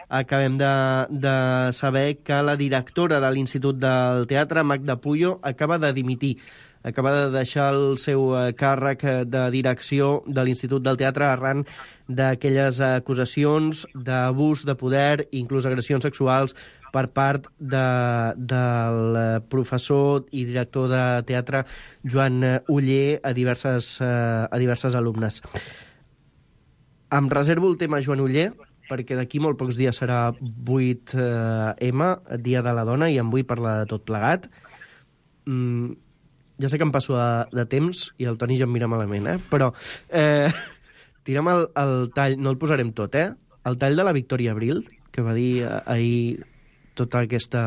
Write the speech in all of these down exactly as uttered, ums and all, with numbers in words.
acabem de, de saber que la directora de l'Institut del Teatre, Magda Puyo, acaba de dimitir. Acaba de deixar el seu càrrec de direcció de l'Institut del Teatre arran d'aquelles acusacions d'abús de poder, inclús agressions sexuals, per part de, del professor i director de teatre Joan Oller a diverses, a diverses alumnes. Em reservo el tema Joan Oller, perquè d'aquí molt pocs dies serà vuit eme, Dia de la Dona, i en vull parlar de tot plegat. Mm, ja sé que em passo de, de temps i el Toni ja em mira malament, eh? Però eh, tirem el, el tall, no el posarem tot, eh? El tall de la Victòria Abril, que va dir ahir tota aquesta,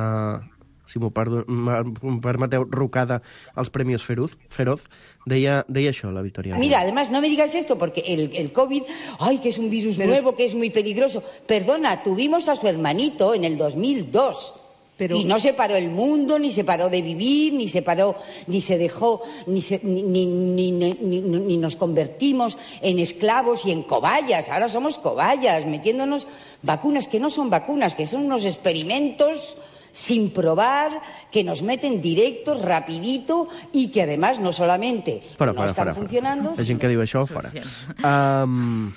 si m'ho permeteu, rucada als Premios Feroz, Feroz deia, deia això, la Victòria. Mira, además, no me digas esto, porque el, el COVID, ay, que es un virus Pero nuevo, es... que es muy peligroso. Perdona, tuvimos a su hermanito en el dos mil dos. Pero... Y no se paró el mundo, ni se paró de vivir, ni se paró, ni se dejó, ni, se, ni, ni, ni, ni, ni, ni nos convertimos en esclavos y en cobayas. Ahora somos cobayas, metiéndonos vacunas que no son vacunas, que son unos experimentos sin probar, que nos meten directos, rapidito, y que además no solamente fora, no fora, están fora, funcionando... La gent que diu això, fora. Um,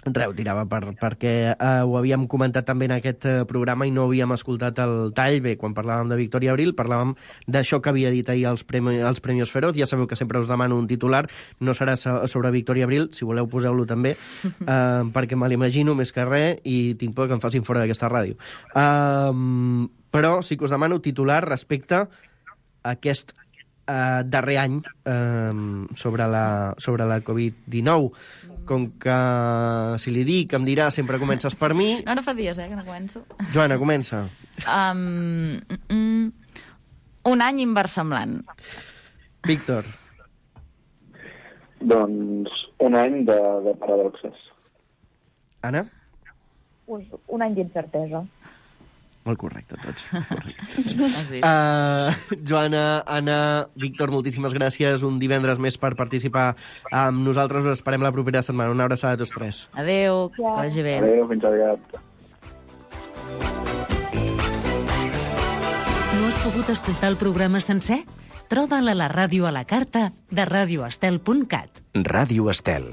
Reu, tirava per, perquè uh, ho havíem comentat també en aquest uh, programa i no havíem escoltat el tall. Bé, quan parlàvem de Victòria Abril, parlàvem d'això que havia dit ahir els, premi, els Premios Feroz. Ja sabeu que sempre us demano un titular. No serà sobre Victòria Abril, si voleu poseu-lo també, uh, perquè me l'imagino més que res i tinc por que em facin fora d'aquesta ràdio. Uh, però sí que us demano titular respecte a aquest uh, darrer any uh, sobre la, sobre la covid dinou. Com que, si li dic, em dirà sempre comences per mi... No, no fa dies, eh, que no començo. Joana, comença. Um, mm, un any inversemblant. Víctor. Doncs un any de, de paradoxes. Anna? Un, un any d'incertesa. Molt correcte, tots. Correcte, tots. uh, Joana, Anna, Víctor, moltíssimes gràcies. Un divendres més per participar amb nosaltres. Us esperem la propera setmana. Una abraçada a tots tres. Adéu, que vagi bé. Adéu, fins aviat. No has pogut escoltar el programa sencer? Troba'l a la ràdio a la carta de radio estel punt cat. Ràdio Estel.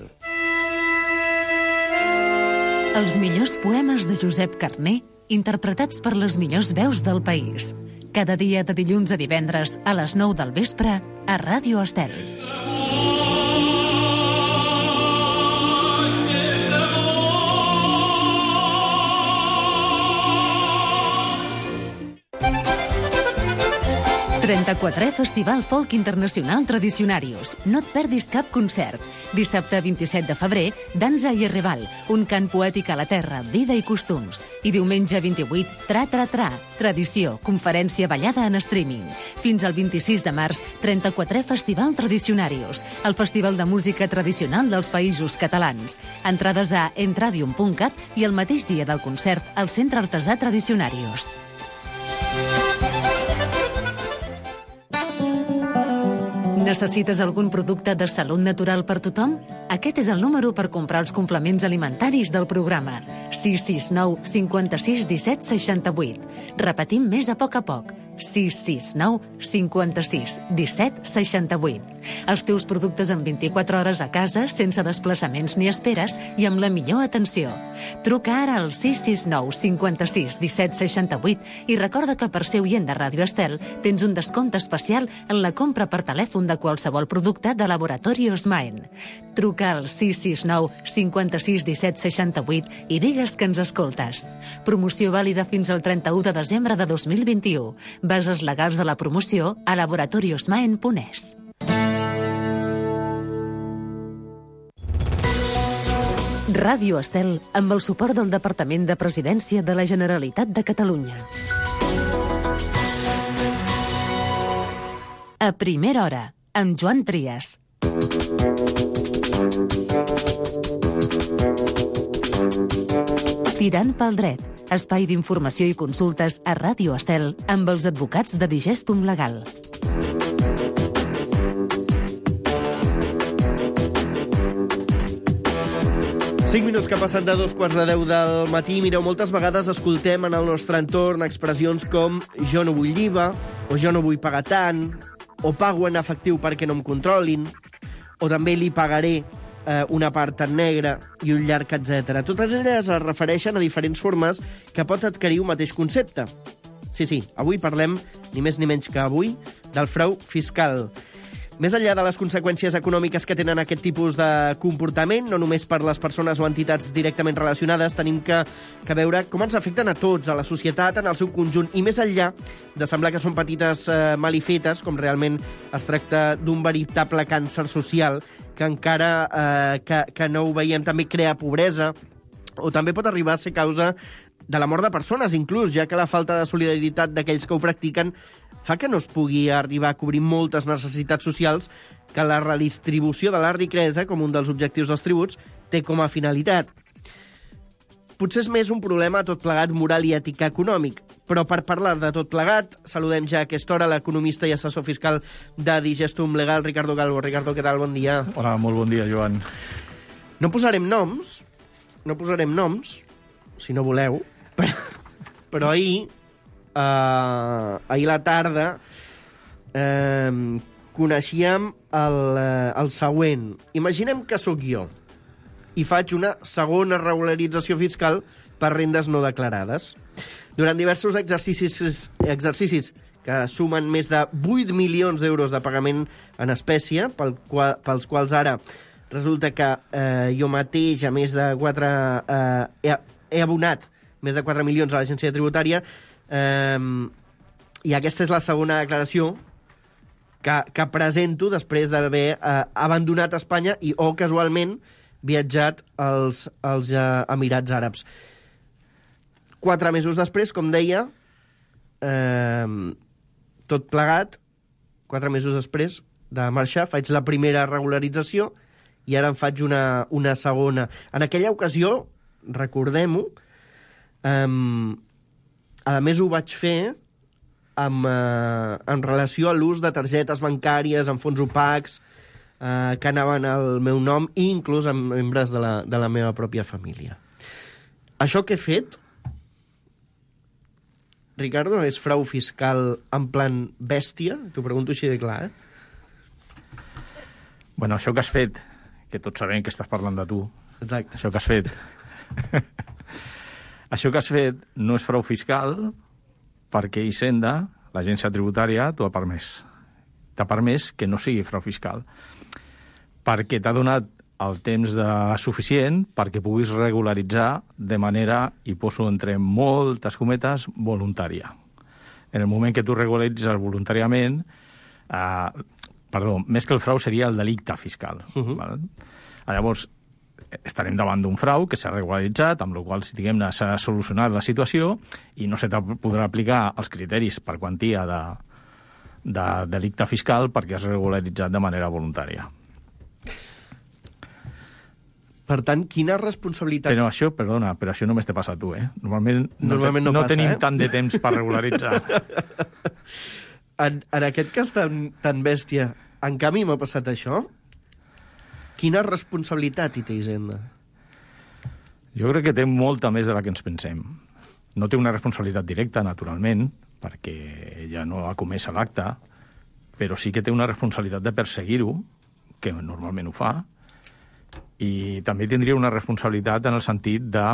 Els millors poemes de Josep Carner interpretats per les millors veus del país. Cada dia de dilluns a divendres a les nou del vespre a Ràdio Estel. trenta-quatrè Festival Folk Internacional Tradicionarius. No et perdis cap concert. Dissabte vint-i-set de febrer, Danza i Erreval, un cant poètic a la terra, vida i costums. I diumenge vint-i-vuit, Tra Tra Tra, tradició, conferència ballada en streaming. Fins al vint-i-sis de març, trenta-quatrè Festival Tradicionarius, el festival de música tradicional dels països catalans. Entrades a entradium punt cat i el mateix dia del concert al Centre Artesà Tradicionarius. Necessites algun producte de salut natural per tothom? Aquest és el número per comprar els complements alimentaris del programa. sis sis nou cinquanta-sis disset seixanta-vuit. Repetim més a poc a poc. sis sis nou cinquanta-sis disset seixanta-vuit. Els teus productes en vint-i-quatre hores a casa, sense desplaçaments ni esperes i amb la millor atenció. Truca ara al sis sis nou cinquanta-sis disset seixanta-vuit i recorda que per ser oient de Ràdio Estel tens un descompte especial en la compra per telèfon de qualsevol producte de Laboratorios Maen. Truca al sis sis nou cinquanta-sis disset seixanta-vuit i digues que ens escoltes. Promoció vàlida fins al trenta-u de desembre de dos mil vint-i-u. Bases legals de la promoció a laboratoriosmaen punt es. Ràdio Estel, amb el suport del Departament de Presidència de la Generalitat de Catalunya. A primera hora, amb Joan Trias. Tirant pel dret, espai d'informació i consultes a Ràdio Estel amb els advocats de Digestum Legal. cinc minuts que passen de dos quarts de deu del matí. Mireu, moltes vegades escoltem en el nostre entorn expressions com jo no vull I V A, o jo no vull pagar tant, o pago en efectiu perquè no em controlin, o també li pagaré eh, una part en negre i un llarg, etcètera. Totes elles es refereixen a diferents formes que pot adquirir un mateix concepte. Sí, sí, avui parlem, ni més ni menys que avui, del frau fiscal. Més enllà de les conseqüències econòmiques que tenen aquest tipus de comportament, no només per les persones o entitats directament relacionades, tenim que, que veure com ens afecten a tots, a la societat, en el seu conjunt, i més enllà de semblar que són petites eh, malifetes, com realment es tracta d'un veritable càncer social, que encara eh, que, que no ho veiem també crea pobresa, o també pot arribar a ser causa de la mort de persones, inclús, ja que la falta de solidaritat d'aquells que ho practiquen fa que no es pugui arribar a cobrir moltes necessitats socials que la redistribució de la riquesa, com un dels objectius dels tributs, té com a finalitat. Potser és més un problema tot plegat moral i ètic econòmic, però per parlar de tot plegat, saludem ja a aquesta hora l'economista i assessor fiscal de Digestum Legal, Ricardo Calvo. Ricardo, què tal? Bon dia. Hola, molt bon dia, Joan. No posarem noms, no posarem noms, si no voleu, però, però ahir, uh, ahir a la tarda, uh, coneixíem el, uh, el següent. Imaginem que sóc jo i faig una segona regularització fiscal per rendes no declarades. Durant diversos exercicis, exercicis que sumen més de vuit milions d'euros de pagament en espècie, pel qual, pels quals ara resulta que eh, jo mateix, a més de quatre... Eh, he, he abonat més de quatre milions a l'agència tributària, eh, i aquesta és la segona declaració que, que presento després d'haver eh, abandonat Espanya i, o casualment, viatjat als, als eh, Emirats Àrabs. Quatre mesos després, com deia, eh, tot plegat, quatre mesos després de marxar, faig la primera regularització i ara en faig una, una segona. En aquella ocasió, recordem-ho, um, a més ho vaig fer amb, uh, en relació a l'ús de targetes bancàries amb fons opacs uh, que anaven al meu nom i inclús amb membres de la, de la meva pròpia família. Això que he fet, Ricardo, és frau fiscal en plan bèstia? T'ho pregunto així de clar, eh? Bueno, això que has fet, que tots sabem que estàs parlant de tu. Exacte. Això que has fet. Això que has fet no és frau fiscal perquè Hisenda, l'agència tributària, t'ho ha permès. T'ha permès que no sigui frau fiscal. Perquè t'ha donat el temps de suficient perquè puguis regularitzar de manera, i poso entre moltes cometes, voluntària. En el moment que tu regularitzes voluntàriament, eh, Perdó, més que el frau seria el delicte fiscal. Uh-huh. Val? Llavors, estarem davant d'un frau que s'ha regularitzat, amb la qual cosa, diguem-ne, s'ha solucionat la situació i no se podrà aplicar els criteris per quantia de, de delicte fiscal perquè has regularitzat de manera voluntària. Per tant, quina responsabilitat... Però això, perdona, però això només te passa a tu, eh? Normalment no, Normalment no, no passa, tenim eh? tant de temps per regularitzar. En, en aquest cas tan, tan bèstia, en canvi m'ha passat això? Quina responsabilitat hi té Hisenda? Jo crec que té molta més de la que ens pensem. No té una responsabilitat directa, naturalment, perquè ella no ha comès l'acte, però sí que té una responsabilitat de perseguir-ho, que normalment ho fa, i també tindria una responsabilitat en el sentit de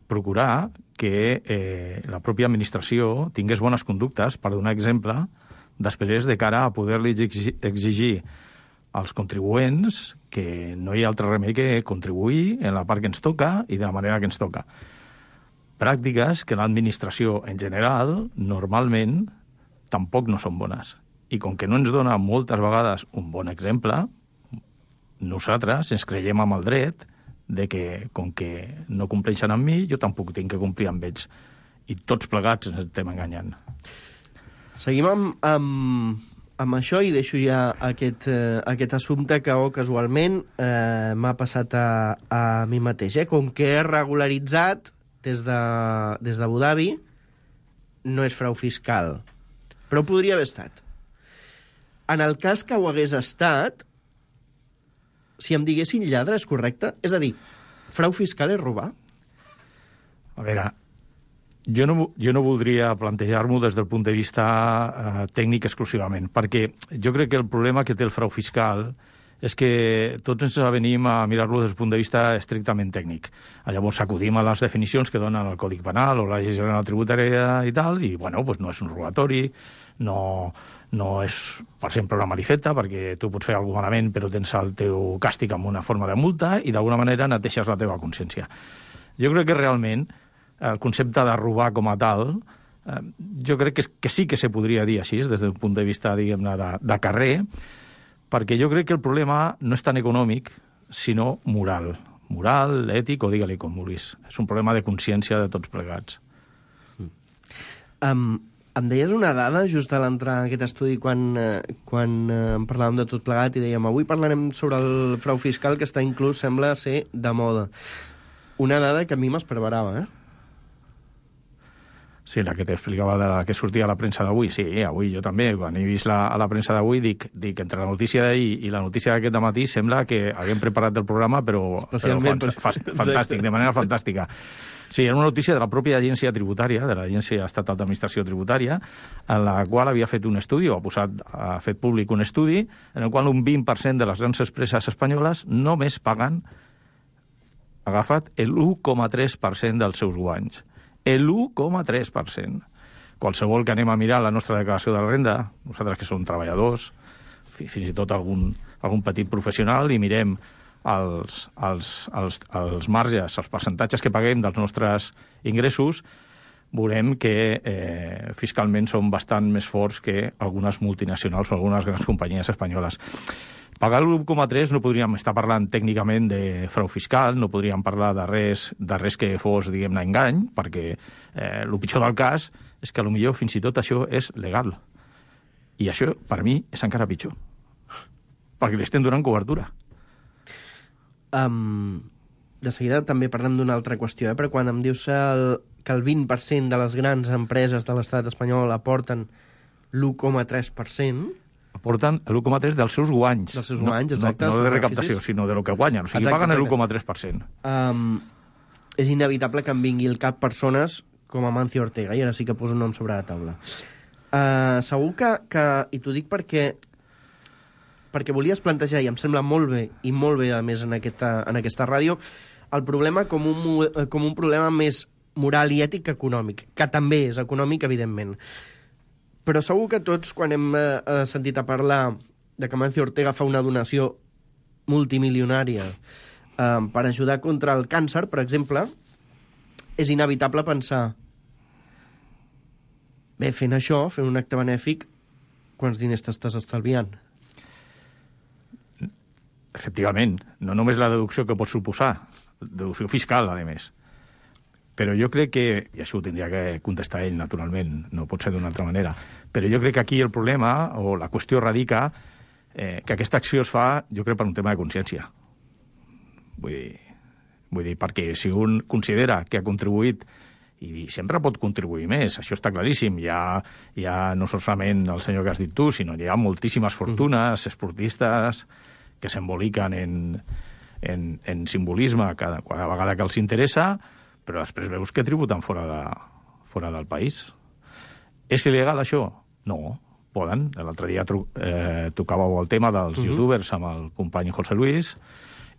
procurar que eh, la pròpia administració tingués bones conductes per donar exemple després de cara a poder-li exigir als contribuents que no hi ha altre remei que contribuir en la part que ens toca i de la manera que ens toca. Pràctiques que l'administració en general, normalment, tampoc no són bones. I com que no ens dona moltes vegades un bon exemple, nosaltres ens creiem amb el dret de que, com que no compleixen amb mi, jo tampoc tinc que complir amb ells. I tots plegats ens estem enganyant. Seguim amb, amb, amb això i deixo ja aquest, eh, aquest assumpte que oh, casualment eh, m'ha passat a, a mi mateix. Eh? Com que he regularitzat des de, des d'Abu Dhabi, no és frau fiscal. Però podria haver estat. En el cas que ho hagués estat, si em diguessin lladre, és correcte? És a dir, Frau fiscal és robar? A veure, jo no, jo no voldria plantejar-m'ho des del punt de vista eh, tècnic exclusivament, perquè jo crec que el problema que té el frau fiscal és que tots ens avenim a mirar-lo des del punt de vista estrictament tècnic. Llavors acudim a les definicions que donen el Codi Penal o la Llei General Tributària i tal, i, bueno, doncs no és un robatori, no, no és, per exemple, una malifeta, perquè tu pots fer alguna cosa malament però tens el teu càstig amb una forma de multa i d'alguna manera neteixes la teva consciència. Jo crec que realment el concepte de robar com a tal, eh, jo crec que, que sí que se podria dir així, des del punt de vista, diguem-ne, de, de carrer, perquè jo crec que el problema no és tan econòmic, sinó moral. Moral, ètic, o digue-li com vulguis. És un problema de consciència de tots plegats. Um, em deies una dada just a l'entrar en aquest estudi quan, eh, quan eh, en parlàvem de tot plegat i dèiem avui parlarem sobre el frau fiscal que està inclús, sembla ser, de moda. Una dada que a mi m'espervarava, eh? Sí, la que t'explicava de la que sortia a la premsa d'avui. Sí, avui jo també, quan he vist la, a la premsa d'avui, dic, dic, entre la notícia d'ahir i la notícia d'aquest matí sembla que haguem preparat el programa, però, però fan, fa, fantàstic, de manera fantàstica. Sí, era una notícia de la pròpia agència tributària, de l'Agència Estatal d'Administració Tributària, en la qual havia fet un estudi, o ha, posat, ha fet públic un estudi, en el qual un vint per cent de les grans empreses espanyoles només paguen, agafat, l'u coma tres per cent dels seus guanys. L'u coma tres per cent. Qualsevol que anem a mirar la nostra declaració de la renda, nosaltres que som treballadors, fins i tot algun, algun petit professional, i mirem els, els, els, els marges, els percentatges que paguem dels nostres ingressos, veurem que eh, fiscalment són bastant més forts que algunes multinacionals o algunes grans companyies espanyoles. Pagar l'u coma tres no podríem estar parlant tècnicament de frau fiscal, no podríem parlar de res, de res que fos, diguem-ne, engany, perquè eh, el pitjor del cas és que potser fins i tot això és legal. I això, per mi, és encara pitjor. Perquè li estem donant cobertura. Um, de seguida també parlem d'una altra qüestió, eh? Però quan em dius el, que el vint per cent de les grans empreses de l'estat espanyol aporten l'u coma tres per cent... Aporten l'u coma tres dels seus guanys. Dels seus guanys, exacte. No, no de recaptació, sinó de lo que guanyen. O sigui, exacte, paguen l'u coma tres per cent. Um, és inevitable que em vingui al cap persones com Amancio Ortega, i ara sí que poso un nom sobre la taula. Uh, segur que, que... I t'ho dic perquè perquè volies plantejar, i em sembla molt bé, i molt bé, a més, en aquesta, en aquesta ràdio, el problema com un, com un problema més moral i ètic que econòmic, que també és econòmic, evidentment. Però segur que tots, quan hem eh, sentit a parlar de que Amancio Ortega fa una donació multimilionària eh, per ajudar contra el càncer, per exemple, és inevitable pensar bé, fent això, fent un acte benèfic, quants diners t'estàs estalviant? Efectivament, no només la deducció que pot suposar, deducció fiscal, a més. Però jo crec que, i això ho tindria que contestar ell, naturalment, no pot ser d'una altra manera, però jo crec que aquí el problema, o la qüestió radica, eh, que aquesta acció es fa, jo crec, per un tema de consciència. Vull dir, vull dir, perquè si un considera que ha contribuït, i sempre pot contribuir més, això està claríssim, hi ha, hi ha no solament el senyor que has dit tu, sinó hi ha moltíssimes fortunes, esportistes, que s'emboliquen en, en, en simbolisme cada, cada vegada que els interessa, però després veus que tributen fora, de, fora del país. És il·legal, això? No, poden. L'altre dia tru, eh, tocàveu el tema dels uh-huh. youtubers amb el company José Luis,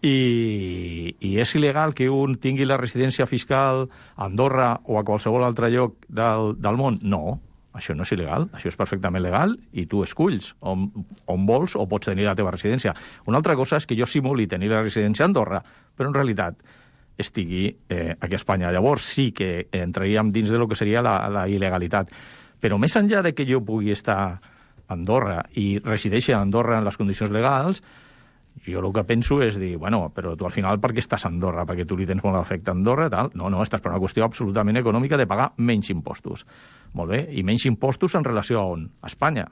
i, i és il·legal que un tingui la residència fiscal a Andorra o a qualsevol altre lloc del, del món? No, això no és il·legal, això és perfectament legal, i tu esculls on, on vols o pots tenir la teva residència. Una altra cosa és que jo simuli tenir la residència a Andorra, però en realitat estigui eh, aquí a Espanya. Llavors sí que entraríem dins de lo que seria la, la il·legalitat. Però més enllà de que jo pugui estar a Andorra i resideixi a Andorra en les condicions legals, jo el que penso és dir, bueno, però tu al final per què estàs a Andorra? Perquè tu li tens molt d'afecte a Andorra, tal? No, no, estàs per una qüestió absolutament econòmica de pagar menys impostos. Molt bé, i menys impostos en relació a on? A Espanya.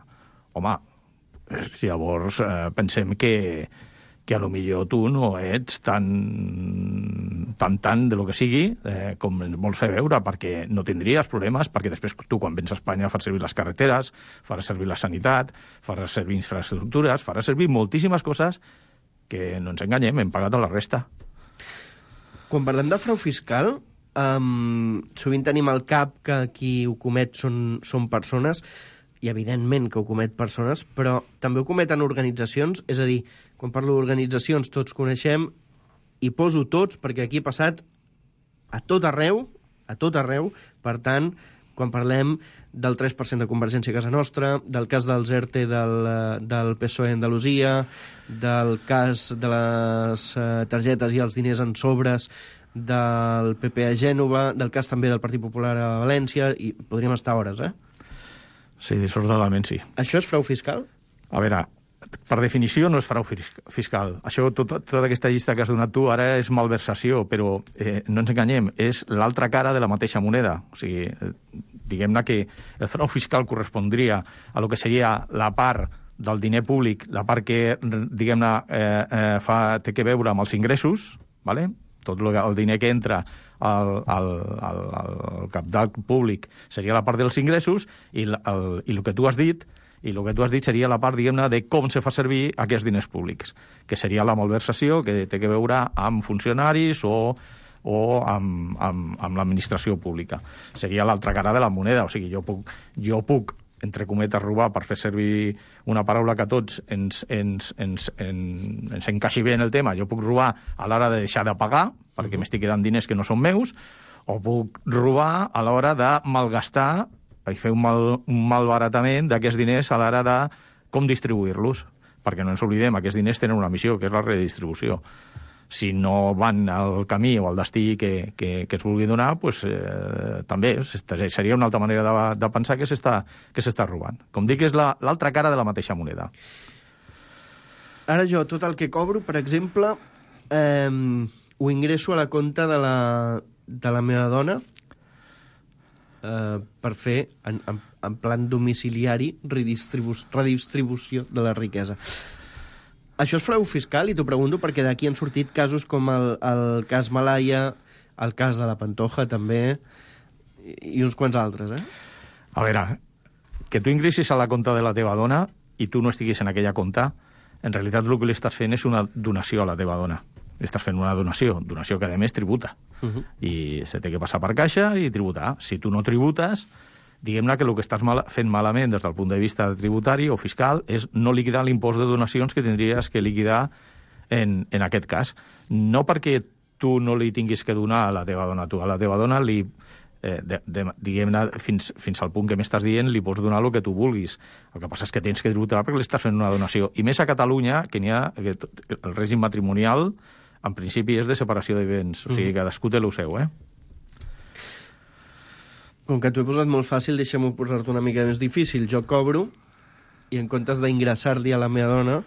Home, si llavors eh, pensem que que a lo millor tu no ets tan tan, tan de lo que sigui eh, com vols fer veure, perquè no tindries problemes, perquè després tu quan vens a Espanya faràs servir les carreteres, faràs servir la sanitat, faràs servir infraestructures, faràs servir moltíssimes coses que no ens enganyem, hem pagat a la resta. Quan parlem de frau fiscal, um, sovint tenim al cap que qui ho comet són, són persones, i evidentment que ho comet persones, però també ho cometen organitzacions, és a dir, quan parlo d'organitzacions tots coneixem, i poso tots perquè aquí ha passat a tot arreu, a tot arreu, per tant, quan parlem del tres per cent de Convergència a casa nostra, del cas dels ERTE del, del P S O E a Andalusia, del cas de les uh, targetes i els diners en sobres del P P a Gènova, del cas també del Partit Popular a València, i podríem estar hores, eh? Sí, dissortadament sí. Això és frau fiscal? A veure, per definició no és frau fiscal. Això, tot, tota aquesta llista que has donat tu, ara és malversació, però eh, no ens enganyem, és l'altra cara de la mateixa moneda. O sigui, eh, diguem-ne que el frau fiscal correspondria a lo que seria la part del diner públic, la part que, diguem-ne, eh, eh, fa, té que veure amb els ingressos, ¿vale? Tot el diner que entra al, al, al, al capital públic seria la part dels ingressos, i el, el, i el que tu has dit i el que tu has dit seria la part, diguem-ne, de com se fa servir aquests diners públics, que seria la malversació, que té que veure amb funcionaris o, o amb, amb, amb l'administració pública. Seria l'altra cara de la moneda. O sigui, jo puc, jo puc entre cometes, robar, per fer servir una paraula que a tots ens, ens, ens, ens, ens encaixi bé en el tema. Jo puc robar a l'hora de deixar de pagar, perquè uh-huh. m'estic quedant diners que no són meus, o puc robar a l'hora de malgastar i fer un, mal, un malbaratament d'aquests diners a l'hora de com distribuir-los, perquè no ens oblidem, aquests diners tenen una missió, que és la redistribució. Si no van al camí o al destí que, que, que es vulgui donar, pues, eh, també seria una altra manera de, de pensar que s'està que s'està robant. Com dic, és la, l'altra cara de la mateixa moneda. Ara jo, tot el que cobro, per exemple, eh, ho ingresso a la compta de la, de la meva dona, Uh, per fer, en, en, en plan domiciliari, redistribu redistribució de la riquesa. Això és frau fiscal, i t'ho pregunto perquè d'aquí han sortit casos com el, el cas Malaya, el cas de la Pantoja, també, i, i uns quants altres, eh? A veure, que tu ingressis a la compta de la teva dona i tu no estiguis en aquella compta, en realitat el que li estàs fent és una donació a la teva dona. Estàs fent una donació, donació que a més tributa. Uh-huh. I se té que passar per caixa i tributar. Si tu no tributes, diguem-ne que el que estàs mal, fent malament des del punt de vista tributari o fiscal és no liquidar l'impost de donacions que tindries que liquidar en, en aquest cas. No perquè tu no li tinguis que donar a la teva dona, tu a la teva dona li... Eh, de, de, diguem-ne, fins, fins al punt que m'estàs dient, li pots donar el que tu vulguis. El que passa és que tens que tributar perquè li estàs fent una donació. I més a Catalunya, que n'hi ha que el règim matrimonial, en principi, és de separació de béns. O sigui, cadascú té el seu, eh? Com que t'ho he posat molt fàcil, deixa'm-ho posar-te una mica més difícil. Jo cobro, i en comptes d'ingressar-li a la meva dona,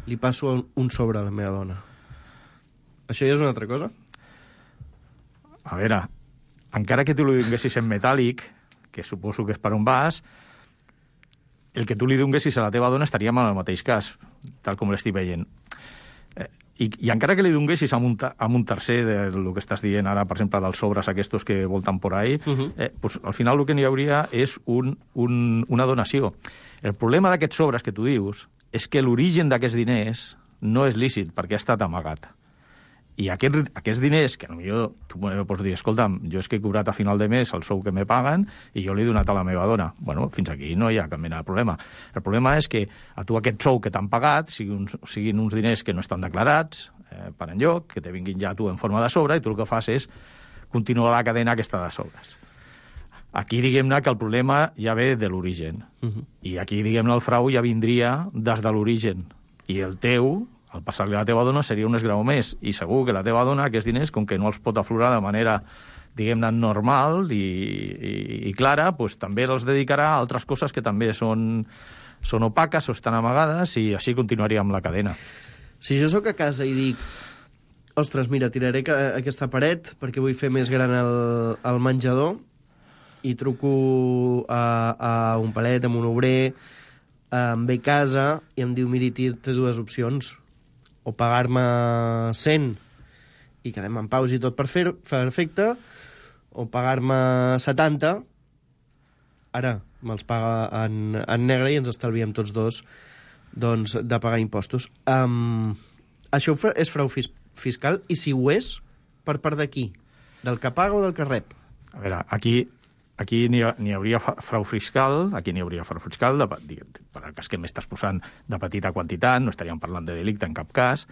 li passo un sobre a la meva dona. Això ja és una altra cosa? A veure, encara que tu li donguessis en metàl·lic, que suposo que és per on vas, el que tu li donguessis a la teva dona estaríem en el mateix cas, tal com l'estic veient. Eh, i, I encara que li donguessis amb un, amb un tercer del que estàs dient ara, per exemple, dels sobres aquests que volten por ahí, uh-huh. eh, pues, al final el que n'hi hauria és un, un, una donació. El problema d'aquests sobres que tu dius és que l'origen d'aquests diners no és lícit, perquè ha estat amagat. I aquest, aquests diners, que potser tu pots dir, escolta'm, jo és que he cobrat a final de mes el sou que me paguen i jo l'he donat a la meva dona. Bueno, fins aquí no hi ha cap mena de problema. El problema és que a tu aquest sou que t'han pagat siguin uns, siguin uns diners que no estan declarats eh, per enlloc, que te vinguin ja a tu en forma de sobre, i tu el que fas és continuar la cadena aquesta de sobres. Aquí, diguem-ne, que el problema ja ve de l'origen. Uh-huh. I aquí, diguem-ne, el frau ja vindria des de l'origen. I el teu... al passar-li a la teva dona seria un esgrau més, i segur que la teva dona aquests diners, com que no els pot aflorar de manera, diguem-ne, normal i, i, i clara, pues, també els dedicarà a altres coses que també són, són opaques o estan amagades, i així continuaria amb la cadena. Si jo sóc a casa i dic, ostres, mira, tiraré aquesta paret perquè vull fer més gran el, el menjador, i truco a, a un palet, a un obrer, em ve a casa i em diu, miri, té dues opcions, o pagar-me cent i quedem en paus i tot per fer perfecte, o pagar-me setanta, ara me'ls paga en, en negre i ens estalviem tots dos doncs, de pagar impostos. Um, això és frau fis fiscal, i si ho és, per part de qui? Del que paga o del que rep? A veure, aquí, aquí n'hi ha, n'hi hauria frau fiscal, aquí n'hi hauria frau fiscal, de, per el cas que m'estàs posant de petita quantitat, no estaríem parlant de delicte en cap cas,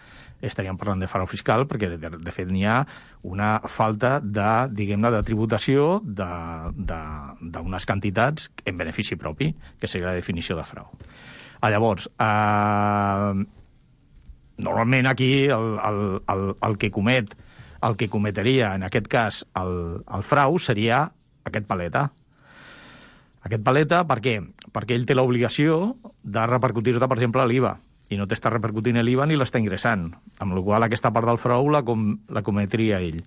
estaríem parlant de frau fiscal, perquè de, de fet n'hi ha una falta de, diguem-ne, de tributació d'unes quantitats en benefici propi, que seria la definició de frau. Ah, llavors, eh, normalment aquí el, el, el, el que comet el que cometeria, en aquest cas, el, el frau, seria aquest paleta. Aquest paleta, per què? Perquè ell té l'obligació de repercutir-te, per exemple, l'I V A, i no t'està repercutint l'I V A ni l'està ingressant, amb la qual cosa aquesta part del frau la, com, la cometria ell.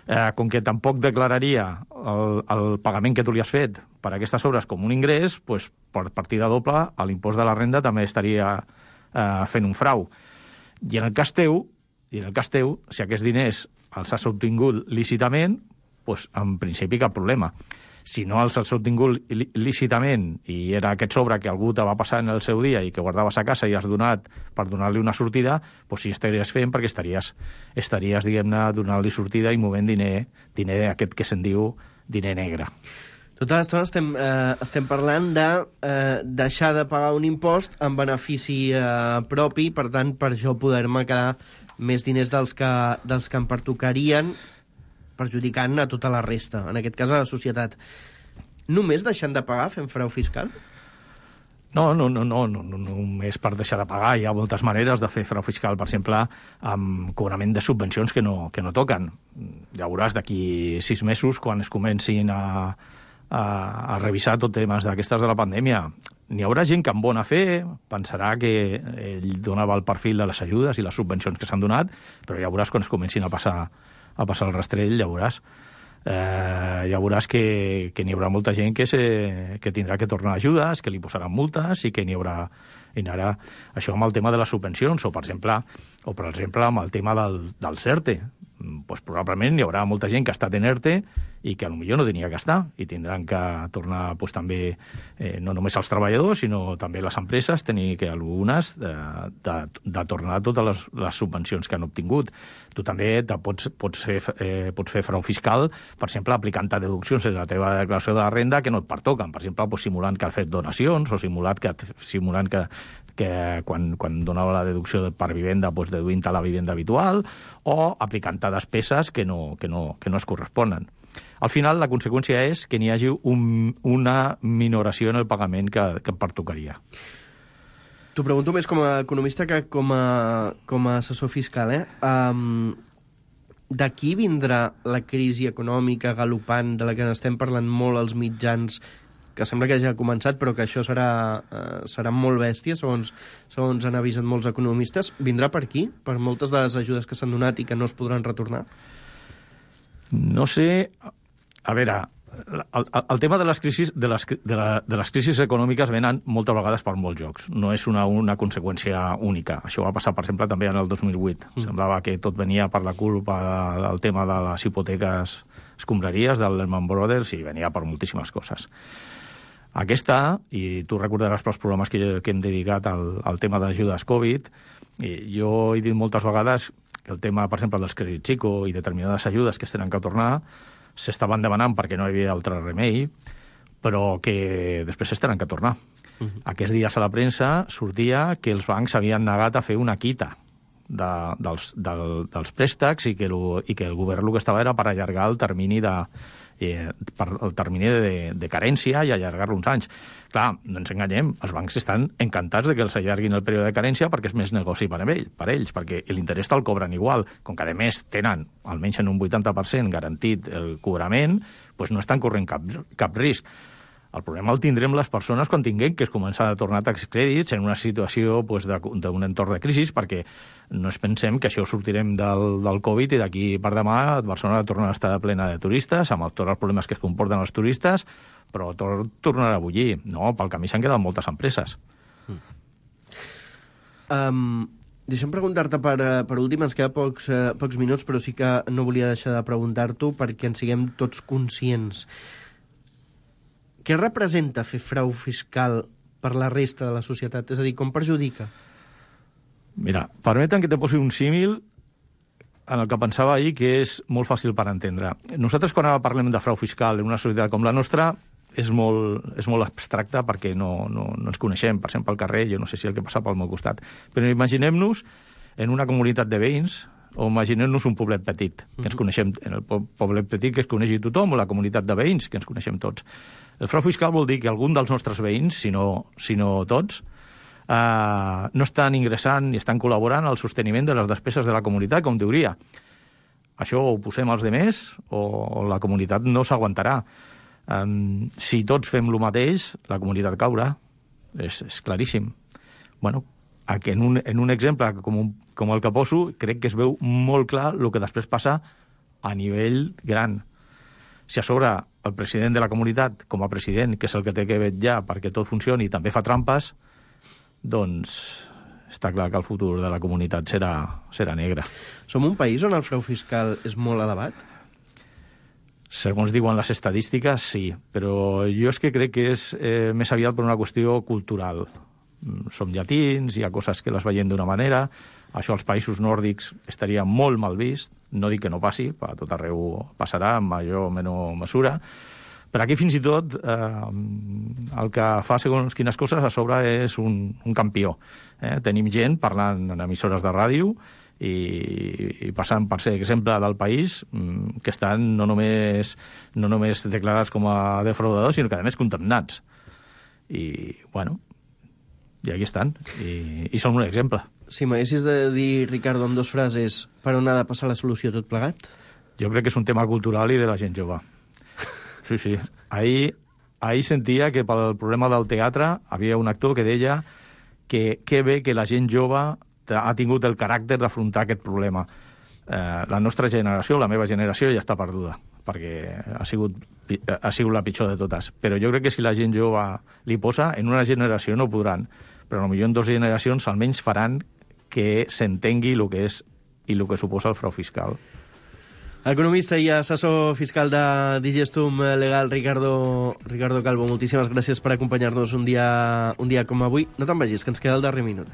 Eh, com que tampoc declararia el, el pagament que tu li has fet per aquestes obres com un ingrés, doncs, per partida doble, l'impost de la renda també estaria eh, fent un frau. I en el cas teu, i en el cas teu, si aquests diners els has obtingut lícitament, doncs, en principi cap problema. Si no els has obtingut lícitament i era aquest sobre que algú te va passar en el seu dia i que guardaves a casa i has donat per donar-li una sortida, doncs sí estaries fent perquè estaries, estaries diguem-ne, donant-li sortida i movent diner, diner aquest que se'n diu diner negre. Tota l'estona estem, eh, estem parlant de eh, deixar de pagar un impost en benefici eh, propi, per tant, per jo poder-me quedar més diners dels que, dels que em pertocarien, perjudicant a tota la resta, en aquest cas a la societat. Només deixant de pagar fem frau fiscal? No, no, no, no, no, no només per deixar de pagar. Hi ha moltes maneres de fer frau fiscal, per exemple, amb cobrament de subvencions que no, que no toquen. Ja veuràs d'aquí sis mesos, quan es comencin a, a, a revisar tot temes d'aquestes de la pandèmia. N'hi haurà gent que amb bona fe pensarà que ell donava el perfil de les ajudes i les subvencions que s'han donat, però ja veuràs quan es comencin a passar, a passar el rastrell, ja veuràs. Eh, ja veuràs que, que n'hi haurà molta gent que, se, que tindrà que tornar ajudes, que li posaran multes i que n'hi haurà, i ara, això amb el tema de les subvencions, o per exemple, o per exemple amb el tema del, del CERTE. Pues probablement hi haurà molta gent que ha estat en ERTE i que potser no tenia que estar i tindran que tornar pues, també, eh, no només els treballadors, sinó també les empreses, tenir que algunes de, de, de tornar totes les, les subvencions que han obtingut. Tu també te pots, pots, fer, eh, pots fer frau fiscal, per exemple, aplicant-te deduccions en la teva declaració de la renda que no et pertoquen. Per exemple, pues, simulant que has fet donacions o simulant que, simulant que, que quan, quan donava la deducció per vivenda, pues, deduint-te la vivenda habitual, o aplicant-te despeses que no, que, no, que no es corresponen. Al final, la conseqüència és que n'hi hagi un, una minoració en el pagament que, que em pertocaria. T'ho pregunto més com a economista que com a, com a assessor fiscal, eh? Um, d'aquí vindrà la crisi econòmica galopant de la que estem parlant molt als mitjans, que sembla que ja ha començat, però que això serà, eh, serà molt bèstia, segons, segons han avisat molts economistes. Vindrà per aquí? Per moltes de les ajudes que s'han donat i que no es podran retornar? No sé... A veure, el, el tema de les crisis, de les, de, la, de les crisis econòmiques venen moltes vegades per molts jocs. No és una, una conseqüència única. Això va passar, per exemple, també en el dos mil vuit. Mm. Semblava que tot venia per la culpa del tema de les hipoteques escombraries del Lehman Brothers i venia per moltíssimes coses. Aquesta, i tu recordaràs pels programes que, que hem dedicat al, al tema d'ajudes Covid, i jo he dit moltes vegades que el tema, per exemple, dels crèdits ICO i determinades ajudes que es tenen que tornar s'estaven demanant perquè no hi havia altre remei, però que després es tenen que tornar. Uh-huh. Aquests dies a la premsa sortia que els bancs havien negat a fer una quita de, dels, del, dels préstecs i que, el, i que el govern el que estava era per allargar el termini de... Eh, per el termini de, de carència i allargar-lo uns anys. Clar, no ens enganyem, els bancs estan encantats de que els allarguin el període de carència perquè és més negoci per, ell, per ells, perquè l'interès te'l cobren igual. Com que, a més, tenen almenys en un vuitanta per cent garantit el cobrament, doncs no estan corrent cap, cap risc. El problema el tindrem les persones quan tinguem que es començar a tornar tax crèdits en una situació doncs, d'un entorn de crisi, perquè no es pensem que això sortirem del, del Covid i d'aquí per demà Barcelona tornarà a estar plena de turistes, amb tots els problemes que es comporten els turistes, però tot tornarà a bullir. No, pel camí s'han quedat moltes empreses. Mm. Um, deixa'm preguntar-te per, per últim, ens queda pocs, uh, pocs minuts, però sí que no volia deixar de preguntar-t'ho perquè en siguem tots conscients. Què representa fer frau fiscal per la resta de la societat? És a dir, com perjudica? Mira, permeten que te posi un símil en el que pensava ahir, que és molt fàcil per entendre. Nosaltres, quan parlem de frau fiscal en una societat com la nostra, és molt, és molt abstracte perquè no, no, no ens coneixem, passem pel carrer, jo no sé si el que passa pel meu costat. Però imaginem-nos en una comunitat de veïns, o imaginem-nos un poblet petit, que ens coneixem, en el poblet petit que es coneixi tothom, o la comunitat de veïns, que ens coneixem tots. El frau fiscal vol dir que algun dels nostres veïns, si no, si no tots, eh, no estan ingressant ni estan col·laborant al sosteniment de les despeses de la comunitat, com diuria. Això ho posem als demés o la comunitat no s'aguantarà. Um, si tots fem el mateix, la comunitat caurà. És, és claríssim. Bueno, en un, en un exemple com, un, com el que poso, crec que es veu molt clar el que després passa a nivell gran. Si a sobre el president de la comunitat, com a president, que és el que té que vetllar perquè tot funcioni i també fa trampes, doncs està clar que el futur de la comunitat serà, serà negre. Som un país on el frau fiscal és molt elevat? Segons diuen les estadístiques, sí, però jo és que crec que és eh, més aviat per una qüestió cultural. Som llatins, hi ha coses que les veiem d'una manera, això als països nòrdics estaria molt mal vist, no dic que no passi, a tot arreu passarà en major o menor mesura, però aquí fins i tot eh, el que fa segons quines coses a sobre és un, un campió. Eh? Tenim gent parlant en emissores de ràdio i, i passant per ser exemple del país que estan no només, no només declarats com a defraudadors, sinó que a més condemnats. I, bueno, i aquí estan, i, i són un exemple. Si m'haguessis de dir, Ricardo, amb dues frases, per on ha de passar la solució tot plegat? Jo crec que és un tema cultural i de la gent jove. Sí, sí. Ahir, ahir sentia que pel problema del teatre havia un actor que deia que, que bé que la gent jove ha tingut el caràcter d'afrontar aquest problema. Eh, la nostra generació, la meva generació, ja està perduda, perquè ha sigut, ha sigut la pitjor de totes. Però jo crec que si la gent jove li posa, en una generació no podran, però potser en dues generacions almenys faran que s'entengui el que és i el que suposa el frau fiscal. Economista i assessor fiscal de Digestum Legal, Ricardo, Ricardo Calvo, moltíssimes gràcies per acompanyar-nos un dia, un dia com avui. No te'n vagis, que ens queda el darrer minut.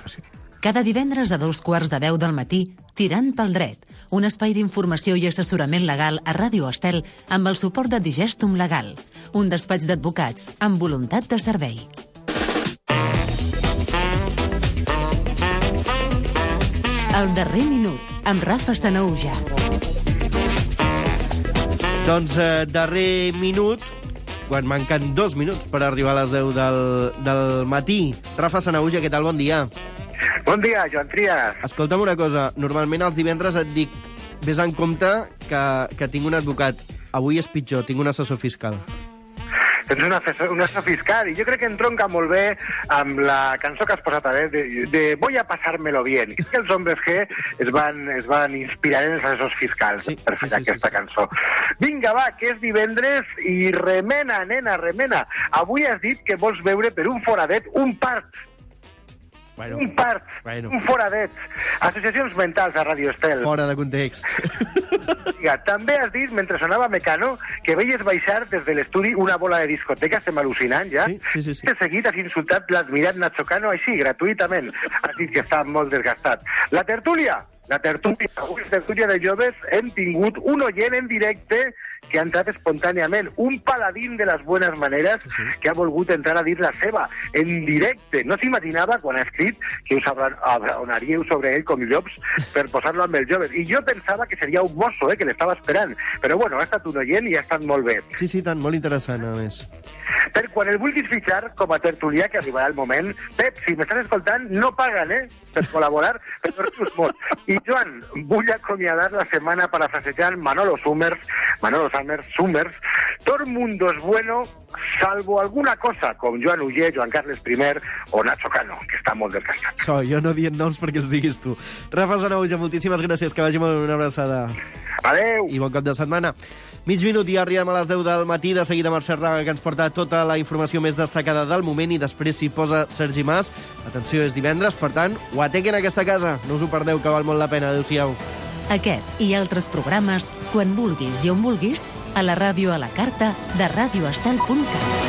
Sí. Cada divendres a dos quarts de deu del matí, Tirant pel dret, un espai d'informació i assessorament legal a Ràdio Estel amb el suport de Digestum Legal, un despatx d'advocats amb voluntat de servei. El darrer minut, amb Rafa Sanaúja. Doncs eh, darrer minut, quan manquen dos minuts per arribar a les deu del, del matí. Rafa Sanaúja, què tal? Bon dia. Bon dia, Joan Trias. Escolta'm una cosa, normalment els divendres et dic vés en compte que, que tinc un advocat. Avui és pitjor, tinc un assessor fiscal. Tens un assessor, un assessor fiscal, i jo crec que entronca molt bé amb la cançó que has posat a veure, de, de Voy a pasármelo bien. I que els hombres G es van, es van inspirar en els assessors fiscals sí, per fer sí, sí, aquesta sí. cançó. Vinga, va, que és divendres i remena, nena, remena. Avui has dit que vols veure per un foradet un part. Bueno, un part, bueno. un foradet. Associacions mentals a Ràdio Estel. Fora de context. Ja, també has dit, mentre sonava Mecano, que veies baixar des de l'estudi una bola de discoteca, estem al·lucinant ja. Sí, sí, sí, sí. De seguit has insultat l'admirat Nacho Cano així, gratuïtament. Has dit que està molt desgastat. La tertúlia, la tertúlia, avui la tertúlia de joves, hem tingut un oient en directe que ha entrat espontàniament, un paladín de les buenas maneres sí. que ha volgut entrar a dir la seva, en directe. No s'imaginava, quan ha escrit, que us abraonaríeu sobre ell com llops per posar-lo amb els joves. I jo pensava que seria un mosso, eh, que l'estava esperant. Però bueno, ha estat un oient i ha estat molt bé. Sí, sí, tant, molt interessant, a més. Per quan el vulguis fitxar com a tertulià, que arribarà el moment, Pep, si m'estàs escoltant, no paguen, eh, per col·laborar, però rius molt. I Joan, vull acomiadar la setmana parafrasejant Manolo Summers, Manolo Summers, Summers, todo el mundo es bueno, salvo alguna cosa, com Joan Uller, Joan Carles primer o Nacho Cano, que està molt desgastat. So, jo no dient noms perquè els diguis tu. Rafa Sanaúja, moltíssimes gràcies, que vagi molt una abraçada. Adeu. I bon cap de setmana. Mig minut i arribem a les deu del matí, de seguida Mercè Raga, que ens porta tota la informació més destacada del moment, i després s'hi posa Sergi Mas. Atenció, és divendres, per tant, ho atequen a aquesta casa. No us ho perdeu, que val molt la pena. Adéu-siau. Aquest i altres programes, quan vulguis i on vulguis, a la ràdio a la carta de radioestel punt cat.